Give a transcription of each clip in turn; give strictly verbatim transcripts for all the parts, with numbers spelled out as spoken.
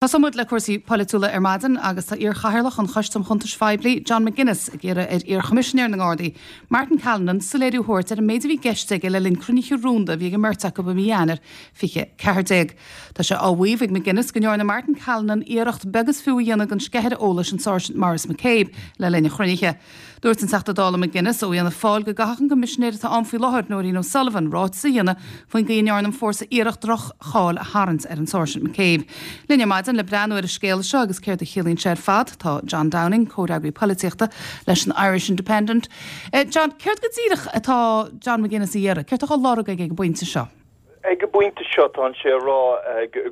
Tosóidh muid le cúrsaí polaitiúla ar maidin agus tá iar-chathaoirleach an Choiste um Chuntais Phoiblí, John McGuinness, ag iarraidh ar iar-Choimisinéir na nGardaí, Martin Callinan, soiléiriú a thabhairt ar an méid a bhí i gceist aige le linn cruinnithe rúnda a bhí ag an mbeirt acu i mí Eanáir fiche ceathair déag. Tá sé á mhaíomh ag McGuinness go ndearna Martin Callinan iarracht beag is fiú a dhéanamh den sceithire eolais an Sáirsint Maurice McCabe le linn an chruinnithe. Dúirt an Teachta Dála McGuinness ó Fhianna Fáil go gcaithfeadh an Coimisinéir atá ann faoi láthair, Nóirín O'Sullivan, ráiteas a dhéanamh faoin gcaoi a ndearna an fórsa iarracht droch-cháil a tharraingt ar an Sáirsint McCabe. Linn ar maidin le breathnú ar an scéal seo agus céard a chiallaíonn sé ar fad, tá John Downing, comhfhreagraí polaitíochta leis an Irish Independent. John, céard go díreach atá John McGuinness a iarraidh? Céard atá á lorg aige ag an bpointe seo? Ag an bpointe seo tá sé ag rá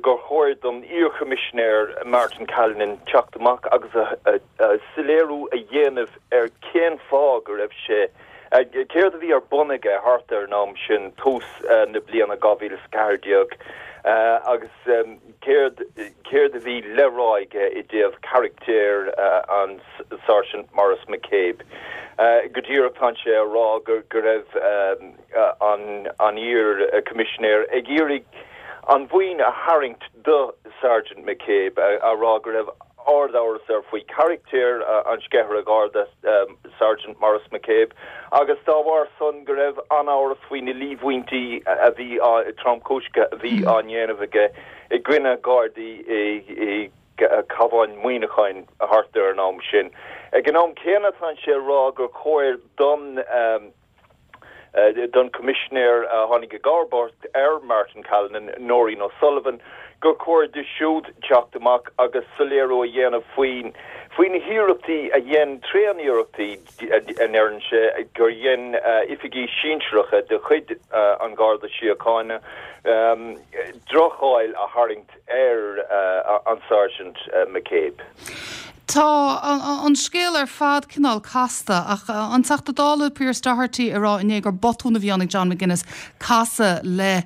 gur chóir don iar-Choimisinéir Martin Callinan teacht amach agus soiléiriú a dhéanamh ar cén fáth go raibh sé céard a bhí ar bun aige thart ar an am sin tús na bliana dhá mhíle is a ceathair déag agus céard céard a bhí le rá aige i dtaobh carachtar an Sáirsint Maurice McCabe. Go díreach tá sé ag rá go go raibh an an iar-Choimisinéir ag iarraidh an mhaoin a tharraingt do Sergeant McCabe, a rá go raibh ard-amhras air faoi charachtar an sceithire Gharda Sergeant Maurice McCabe agus dá bharr san go raibh an-amhras faoi na líomhaintí a bhí tromchúiseacha a bhí á ndéanamh aige i gcoinne Gardaí i gCabhán Mhuineacháin thart ar an am sin. Ag an am céanna tá sé ag rá gur chóir don don Choimisinéir a tháinig i gcomharbacht ar Martin Callinan, Nóirín O'Sullivan, gur chóir di siúd teacht amach agus soiléiriú a dhéanamh faoin faoi na hiarrachtaí a dhein tréaniarrachtaí a ndeireann sé gur dhein oifigigh sinsearacha de chuid an Gharda Síochána droch-cháil a tharraingt ar an Sergeant McCabe. Tá an scéal ar fad cineál casta ach an Teachta Dála Pearse Doherty ag rá inné gur botún a bhí ann ag John McGuinness casadh le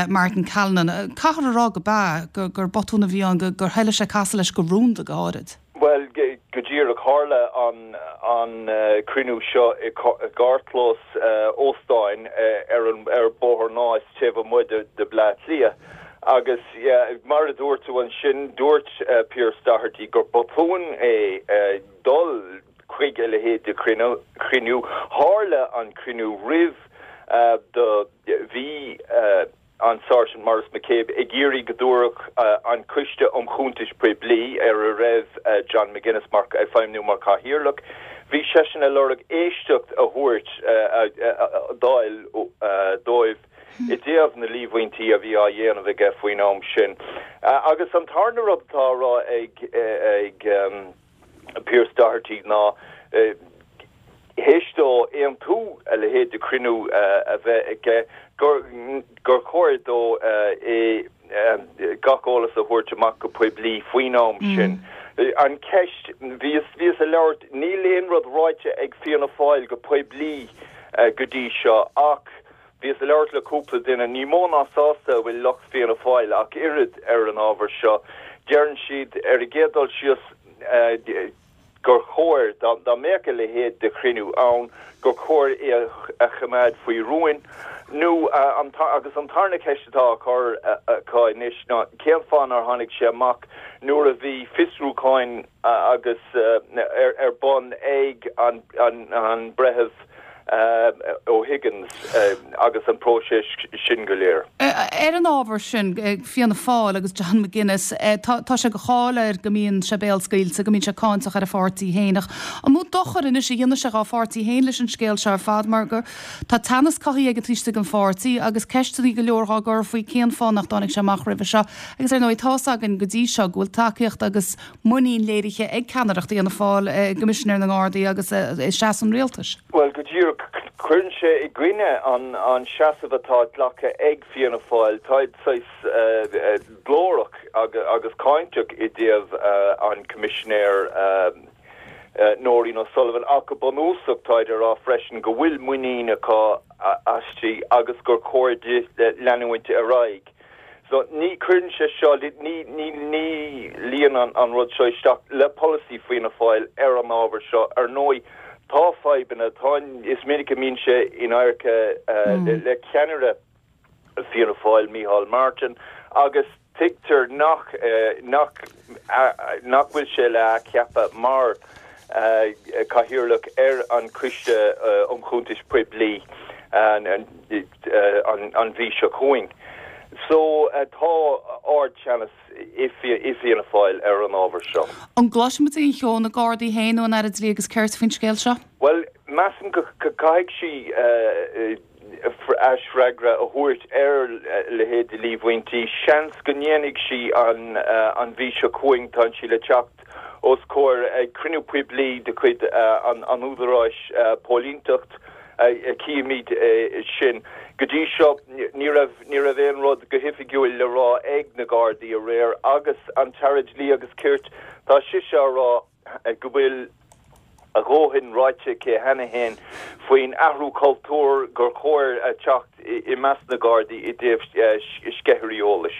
Martin Callinan. Caithfear a rá go b'ea gur botún a bhí ann gur thoiligh sé casadh leis go rúnda go háirid. Bhuel go díreach tharla an an cruinniú seo i gcarrchlós óstáin ar an ar Bóthar Náis taobh amuigh de de Bleá Cliath. Agus mar a dúirt tú ansin dúirt Pearse Doherty gur botún é dul chuig a leithéid de chruinniú. Tharla an cruinniú roimh do bhí an Sergeant Maurice McCabe ag iarraidh go dtabharfadh an Coiste um Chuntais Poiblí ar a raibh John McGuinness mar ag feidhmiú mar chathaoirleach. Bhí seisean ag lorg éisteacht a thabhairt d'fháil dóibh i dtaobh na líomhaintí a bhí á dhéanamh aige faoin am sin. Agus an tarna rud atá á rá ag ag Pearse Doherty ná théis dó aontú a leithéid de chruinniú a bheith aige gur gur chóir dó é gach eolas a thabhairt amach go poiblí faoin am sin. An ceist bhíos bhíos ag labhairt níl aon rud ráite ag Fianna Fáil go poiblí go dtí seo ach Bhíos ag labhairt le cúpla duine, ní mó ná sásta a bhfuil lucht Fianna Fáil ach oiread ar an ábhar seo. Deireann siad ar an gcéad dul síos gur chóir, dá mbeadh a leithéid de chruinniú ann, gur chóir é a choimeád faoi rún. Nó agus an tarna ceist atá á cur acu anois ná cén fáth nár tháinig sé amach nuair a bhí fiosrúcháin agus ar bun ag an Breitheamh O'Higgins agus an próiseas sin go léir. Ar an ábhar sin, Fianna Fáil agus John McGuinness, tá sé de cháil air go mbíonn sé béalscaoilte, go mbíonn sé cáinteach ar a pháirtí féin. Ach an mó dochar anois a dhéanfaidh sé dá pháirtí féin leis an scéal seo ar fad mar gur tá teannas cothaithe aige taobh istigh den pháirtí agus ceisteanna go leor á gcur faoi cén fáth nach dtáinig sé amach roimhe seo. Agus ar ndóigh tá's againn go dtí seo go bhfuil tacaíocht agus muinín léirithe ag ceannaireacht Fhianna Fáil i gCoimisinéir na nGardaí agus i seasamh an rialtais. Bhuel, go díreach, cuireann sé i gcoinne an an seasamh atá glactha ag Fianna Fáil. Táid saghas glórach agus cáinteach i dtaobh an Coimisinéir Nóirín O'Sullivan ach go bunúsach táid ag rá freisin go bhfuil muinín acu aisti agus gur chóir di leanúint ar aghaidh. So ní cuireann sé seo, ní ní ní luíonn an an rud seo isteach le polasaí Fianna Fáil ar an ábhar seo. Ar ndóigh tá fadhbanna, tá is minic a mbíonn sé in adharca le ceannaire Fianna Fáil, Micheál Martin, agus Tuigtear nach nach nach bhfuil sé le ceapadh mar cathaoirleach ar an Coiste um Chuntais Poiblí an an mhí seo chugainn. So tá ardteannas i Fianna Fáil ar an ábhar seo. An gcloisfimid aon cheo ó na Gardaí féin nó an Aire Dlí agus Cirt faoin scéal seo? Well measaim go caithfidh sí aisfhreagra a thabhairt ar leithéid de líomhaintí. Seans go ndéanfaidh sí an an mhí seo chugainn tá sí le teacht os comhair ag cruinniú poiblí de chuid an an údaráis póilíneachta cífimid sin. Go dtí seo ní raibh ní raibh aon rud go hoifigiúil le rá ag na Gardaí aréir agus an tAire Dlí agus Cirt tá sise á rá go bhfuil a dhóthain ráite aici cheana féin faoin athrú cultúir gur chóir a teacht i measc na Gardaí i dtaobh sceithirí eolais.